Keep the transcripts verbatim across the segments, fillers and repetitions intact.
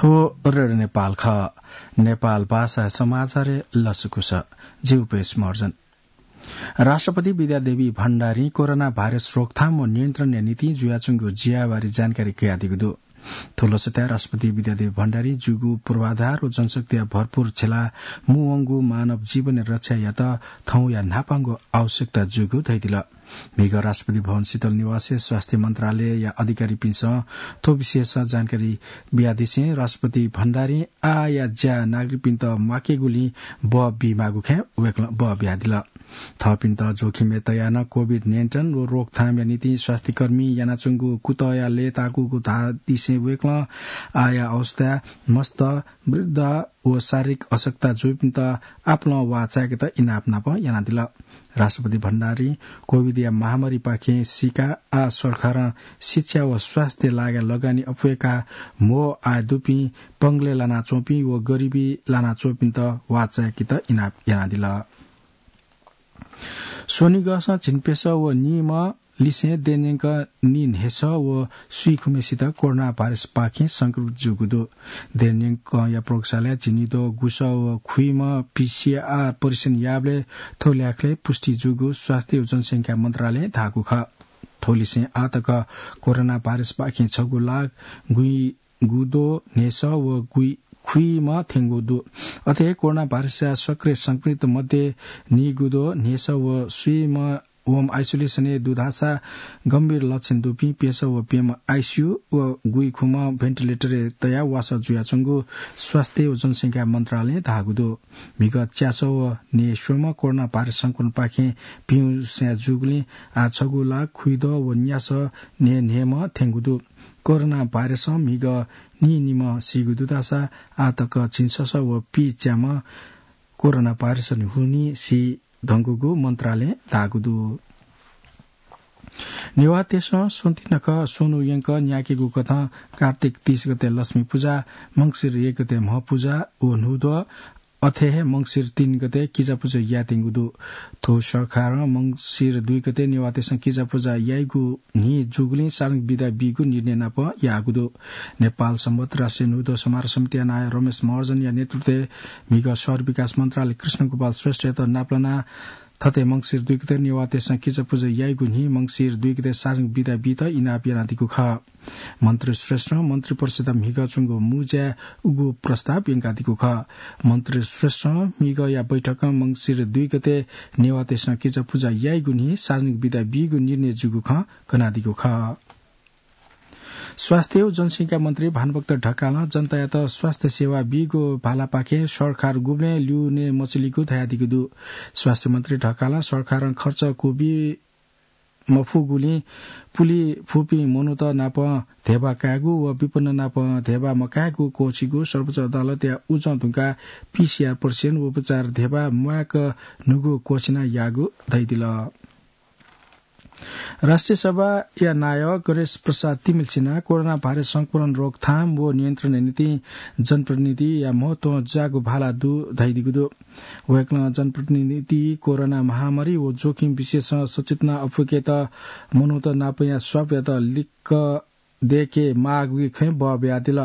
थ्व रेडियो नेपाल खः। नेपाल भाषा समाचार लसकुस। जि उपेश महर्जन। राष्ट्रपति विद्यादेवी भण्डारी कोरोना भाइरस रोकथाम व नियन्त्रणया निंतिं जुयाच्वंगु ज्याबारे जानकारी कयादीगु दु। थ्व लसताय् राष्ट्रपति विद्यादेवी भण्डारी ज्यूगु पूर्वाधार व जनशक्तिया भरपूर झेला मुवंगु मानव जीवन रक्षायात थौंया न्हापांगु आवश्यकता जूगु धयादिल। म्हिगः राष्ट्रपति भवन शीतल निवासय् स्वास्थ्य मन्त्रालयया अधिकारीपिन्सं थ्व विषयस जानकारी बियादिसें राष्ट्रपति भण्डारीं आःया ज्या नागरिकपिन्त म्वाकेगुलिं बः बीमाःगु खँय् वय्कलं बः बियादिल। थःपिन्त जोखिमय् तयाः नं कोभिड नियन्त्रण व रोकथामया निंतिं स्वास्थ्यकर्मी यानाच्वंगु कुतःया लय्ताकूगु धाःदिसें वय्कलं आःया अवस्थाय् मस्त, वृद्ध व शारीरिक अशक्तता जूपिन्त आपालं वाः चाय्केत इनाप नाप यानादिल। राष्ट्रपति भण्डारीं कोभिडया महामारीपाखें सीकाः आः सरकारं शिक्षा व स्वास्थ्य लागाय् लगानी अप्वय्काः म्हो आय दुपिं, पंगलय् लानाच्वंपिं व गरिबी लानाच्वंपिन्त वाः चाय्केत इनाप यानादिल। स्वनिगःसं झिंप्यसः व नीम्ह लिसें देय्‌न्यंक नीन्हय्‌सः व स्वीखुम्हेसित कोरोना भाइरसपाखें संक्रमित जूगु दु। देय्‌न्यंकया प्रयोगशालाय् झिंनिद्वः गुसः व खुइम्ह पीसीआर परीक्षण याःबलय् थ्व ल्याखलय् पुष्टि जूगु स्वास्थ्य व जनसंख्या मन्त्रालयं धाःगु खः। थ्व लिसें आः तक कोरोना भाइरसपाखें छगू लाख गुइगुद्वः न्हय्‌सः व गुइखुइम्ह थ्यंगु दु। अथे हे कोरोना भाइरसया सक्रिय संक्रमित मध्ये नीगुद्वः न्हय्‌सः व स्वीम्ह होम आइसोलेसनय् दु धाःसा गम्भीर लक्षण दुपिं प्यसः व प्यम्ह आइसीयू व गुइखुम्ह भेन्टिलेटरय् तयाः वासः जुयाच्वंगु स्वास्थ्य व जनसंख्या मन्त्रालयं धाःगु दु। म्हिगः च्यासः व न्हय्‌स्वम्ह कोरोना भाइरस संक्रमणपाखें पिउँ स्वयाः जूगुलिं आः छगू लाख खुइद्वः व न्यासः न्हय्‌न्हय्‌म्ह थ्यंगु दु। कोरोना भाइरसं म्हिगः नीनिम्ह सीगु दु धाःसा आः तक झिंससः व पीच्याम्ह कोरोना भाइरसं हुनिं सी धुंकूगु मन्त्रालयं धाःगु दु। नेवाःतय्‌सं स्वन्ति नखः स्वन्हु यंक न्याकेगु कथं कार्तिक तीस गते लक्ष्मी पुजा, मंसिर एक गते म्ह पुजा व न्हूद्वः, अथे हे मंसिर तीन गते किजा पुजा यायेत्यंगु दु। थ्व सरकारं मंसिर दुई गते नेवाःतय्‌सं किजा पुजा याइगु न्हि जूगुलिं सार्वजनिक बिदा बीगु निर्णय नाप याःगु दु। नेपाल संवत् राष्ट्रिय न्हूद्वः समारोह समितिया नायः रमेश महर्जनया नेतृत्वय् म्हिगः शहर विकास मन्त्रालय कृष्णगोपाल श्रेष्ठयात नापलानाः थथे मंसिर दुई गते नेवाःतय्‌सं किजा पुजा याइगु न्हि मंसिर दुई गते सार्वजनिक बिदा बीत इनाप यानादीगु खः। मन्त्री श्रेष्ठं मन्त्री परिषदया म्हिगः च्वंगु मुँज्याय् उगु प्रस्ताव यंकादीगु खः। मन्त्री श्रेष्ठं म्हिगःया बैठकं मंसिर दुई गते नेवाःतय्‌सं किजा पुजा याइगु न्हि सार्वजनिक बिदा बीगु निर्णय जूगु खँ कनादीगु खः। स्वास्थ्य व जनसंख्या मन्त्री भानुभक्त ढकालं जनतायात स्वास्थ्य सेवा बीगु भालापाखें सरकार गुबलें ल्यूने मचुलिगु धयादीगु दु। स्वास्थ्य मन्त्री ढकालं सरकारं खर्च क्वबी मफुगुलिं पुले फुपिं मनूत नाप धेबा कायेगु व विपन्न नाप धेबा मकायेगु क्वःछिगु सर्वोच्च अदालतया उजं धुंकाः पीसीआर परीक्षण व उपचार धेबा म्वायेक न्हूगु क्वःछिना याःगु धयादिल। राष्ट्रिय सभाया नायः गणेश प्रसाद तिमिल्सिनां कोरोना भाइरस संक्रमण रोकथाम व नियन्त्रणया निंतिं जनप्रतिनिधिया महत्वं जागु भाला दु धयादीगु दु। वय्कलं जनप्रतिनिधि कोरोना महामारी व जोखिम विषयसं सचेतना अप्वय्केत मनूत नापया स्वापयात लिक्क दय्के माःगु खँय् बः बियादिल।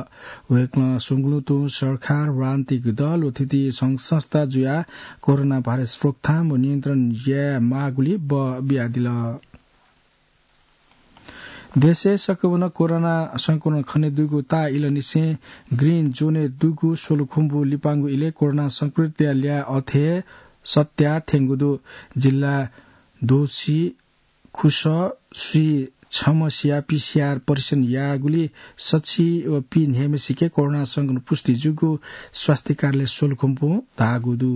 वय्कलं स्वंगुलुं तुं सरकार, राजनीतिक दल व थीथी संघ संस्था जुयाः कोरोना भाइरस रोकथाम व नियन्त्रण याये माःगुलिइ बः बियादिल। देशय् सकभनं कोरोना संक्रमण खनेदुगु ताः इलंनिसें ग्रीन जोनय् दुगु सोलुखुम्बु लिपांगु इलय् कोरोना संक्रमितया ल्याः अथे हे सत्या थ्यंगु दु। जिल्ला दोसी खुसः स्वीछम्हसिया पीसीआर परीक्षण याःगुलिइ सछि व पीन्हय्म्हसिके कोरोना संक्रमण पुष्टि जूगु स्वास्थ्य कार्यालय सोलुखुम्बुं धाःगु दु।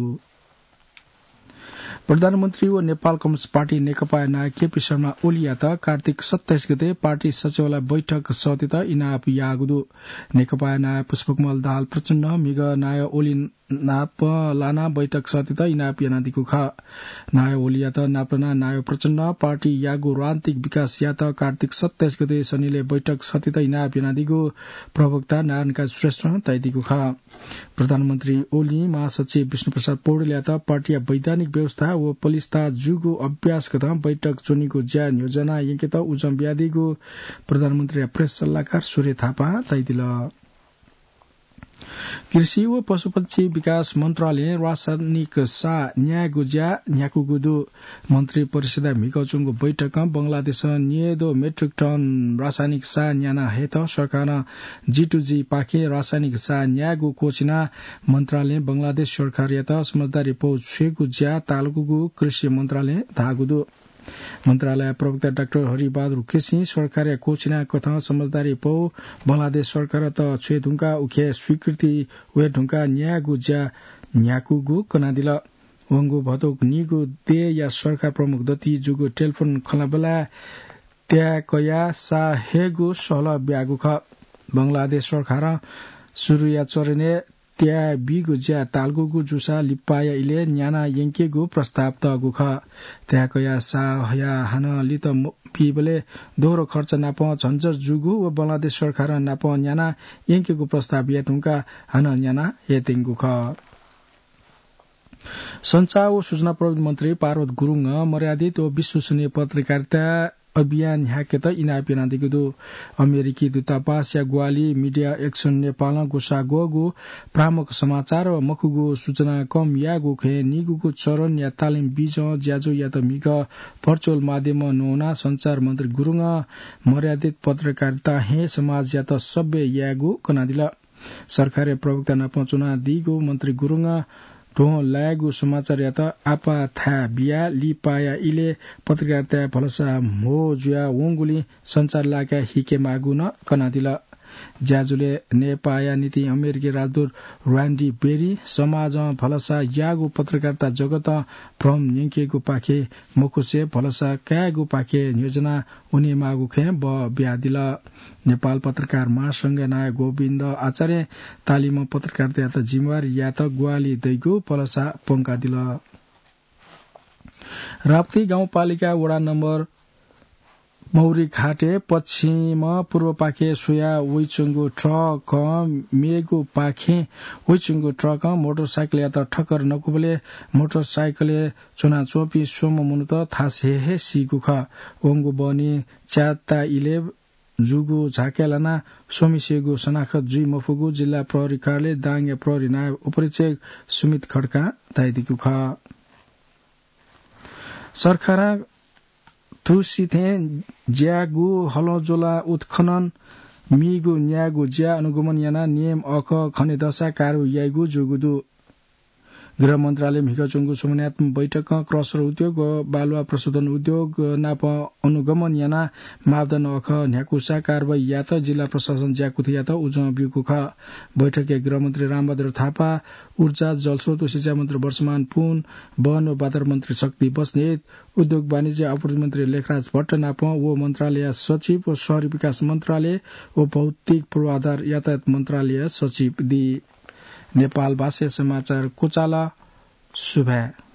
प्रधानमन्त्री व नेपाल कम्युनिस्ट पार्टी नेकपाया नायः केपी शर्मा ओलीयात कार्तिक सत्ताइस गते पार्टी सचिवालय बैठक सःतेत इनाप याःगु दु। नेकपाया नायः पुष्पकमल दाहाल प्रचण्डं म्हिगः नायः ओली नापलानाः बैठक सःतेत इनाप यानादीगु खः। नायः ओलीयात नापलानाः नायः प्रचण्डं पार्टीयागु रणनीतिक विकासयात कार्तिक सत्ताइस गते सनिलय् बैठक सःतेत इनाप यानादीगु प्रवक्ता नारायणकाजी श्रेष्ठं धयादीगु खः। प्रधानमन्त्री ओलीं महासचिव विष्णुप्रसाद पौडेलयात पार्टीया वैधानिक व्यवस्था व पलिस्था जूगु अभ्यासगतं बैठक च्वनीगु ज्या न्ह्यज्याना यंकेत उजं बियादीगु प्रधानमन्त्रीया प्रेस सल्लाहकार सूर्य थापां धयादिल। कृषि व पशुपक्षी विकास मन्त्रालयं रासायनिक साः न्यायेगु ज्या न्ह्याकूगु दु। मन्त्री परिषदया म्हिगः च्वंगु बैठकं बंगलादेशं न्यय्दँ मेट्रिक टन रासायनिक साः न्याना हयेत सरकारं जी टू जी पाखें रासायनिक साः न्यायेगु क्वःछिनाः मन्त्रालयं बंगलादेश सरकारयात समझदारी पौ छ्वयेगु ज्या तालुकूगु कृषि मन्त्रालयं धाःगु दु। मन्त्रालय प्रवक्ता डाक्टर हरिबहादुर केसीं सरकारया क्वःछिनाकथं समझदारी पौ बंगलादेश सरकारयात छ्वये धुंकाः उखे स्वीकृति वये धुंकाः न्यायेगु ज्या न्ह्याकूगु कनादिल। वंगु भदौ नीगु देय्‌या सरकार प्रमुख दथुइ जूगु टेलिफोन खँल्हाबल्हाय् त्याये कयाः साः हयेगु सहलह ब्याःगु खः। बंगलादेश सरकारं सुरुया चरणय् त्याये बीगु ज्या तालुकूगु जूसा लिपाया इलय् न्याना यंकेगु प्रस्ताव तःगु खः। त्याये कयाः साः हयाः हानं लित म-, बीबलय् दोहोरो खर्च नाप झन्झट जूगु व बंगलादेश सरकारं नाप न्याना यंकेगु प्रस्ताव याये धुंकाः हानं न्याना हयेत्यंगु खः। सञ्चार व सूचना प्रविधि मन्त्री पार्वत गुरुङं मर्यादित व विश्वसनीय पत्रकारिता अभियान न्ह्याकेत इनाप यानादीगु दु। अमेरिकी दूतावासया ग्वाहालिं Media Action नेपालं ग्वसाः ग्वःगु भ्रामक समाचार व मखुगु सूचना कम यायेगु खँय् नीगूगु चरणया तालिम बीजं ज्याझ्वःयात म्हिगः virtual माध्यमं न्ववानाः सञ्चार मन्त्री गुरुङं मर्यादित पत्रकारितां हे समाजयात सभ्य यायेगु कनादिल। सरकारया प्रवक्ता नाप च्वनादीगु मन्त्री गुरुङं ध्वं लायेगु समाचारयात आपाः थाय् बियाः लिपाया इलय् पत्रकारिताय् भलसा म्हो जुया वंगुलिं सञ्चार लाकाय् हिके माःगु नं कनादिल। ज्याझ्वलय् नेपाःया निंतिं अमेरिकी राजदूत र्‍यान्डी बेरी समाजं भलसा याःगु पत्रकारिता जगतं भ्रम न्यंकेगु पाखे मखुसे भलसा कायेगु पाखे न्ह्यज्वना वनेमाःगु खँय् बः बियादिल। नेपाल पत्रकार महासंघया नायः गोविन्द आचार्यं तालिमं पत्रकारितायात जिम्मेवारी यायेत ग्वाहालि दइगु भलसा प्वंकादिल। राप्ती गाउँपालिका वडा नम्बर मौरीघाटय् पश्चिम पूर्वपाखे स्वयाः वइच्वंगु ट्रकं मेगु पाखें वइच्वंगु ट्रकं मोटरसाइकलयात ठक्कर नकूबलय् मोटरसाइकलय् च्वनाच्वंपिं स्वम्ह मनूत थासय् हे सीगु खः। वंगु बहनी च्याता इलय् जूगु झाँक्री लानाः स्वम्हेसिगु सनाखत जुइ मफुगु जिल्ला प्रहरी कार्यालय दाङया प्रहरी नायब उपरीक्षक सुमित खड्कां धयादीगु खः। सरकारं थुसिथें ज्याःगु हलंज्वला उत्खनन मीगु न्यायेगु ज्या अनुगमन यानाः नियम अःखः खनेदःसा कारवाही याइगु जूगु दु। गृह मन्त्रालय म्हिगः च्वंगु समन्वयात्मक बैठकं क्रसर उद्योग व बालुवा प्रशोधन उद्योग नाप अनुगमन यानाः मापदण्ड अःखः न्ह्याकूसा कारवाही यायेत जिल्ला प्रशासन ज्याकुथियात उजं ब्यूगु खः। बैठकय् गृहमन्त्री रामबहादुर थापा, ऊर्जा, जलस्रोत व सिँचाइ मन्त्री वर्षमान पुन, वन व वातावरण मन्त्री शक्ति बस्नेत, उद्योग वाणिज्य आपूर्ति मन्त्री लेखराज भट्ट नाप व मन्त्रालयया सचिव व शहरी विकास मन्त्रालय व भौतिक पूर्वाधार यातायात मन्त्रालयया सचिव दी। नेपाल भाषाय् समाचार क्वचाल। सुभाय्।